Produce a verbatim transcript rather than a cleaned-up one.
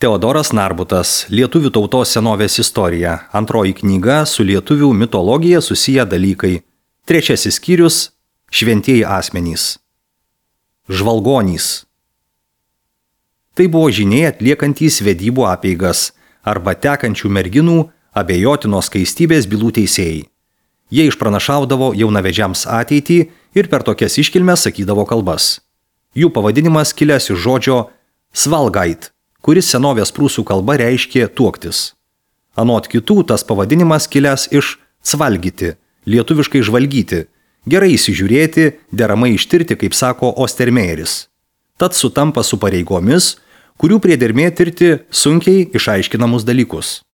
Teodoras Narbutas, Lietuvių tautos senovės istorija, antroji knyga su lietuvių mitologija susiję dalykai. Trečiasis skyrius – šventieji asmenys. Žvalgonys. Tai buvo žyniai atliekantys vedybų apeigas arba tekančių merginų abejotinos skaistybės bylų teisėjai. Jie išpranašaudavo jaunavedžiams ateitį ir per tokias iškilmes sakydavo kalbas. Jų pavadinimas kilęs iš žodžio svalgait, kuris senovės prūsų kalba reiškė tuoktis. Anot kitų tas pavadinimas kilęs iš cvalgyti, lietuviškai žvalgyti, gerai įsižiūrėti, deramai ištirti, kaip sako Ostermejeris. Tad sutampa su pareigomis, kurių priedermė tirti sunkiai išaiškinamus dalykus.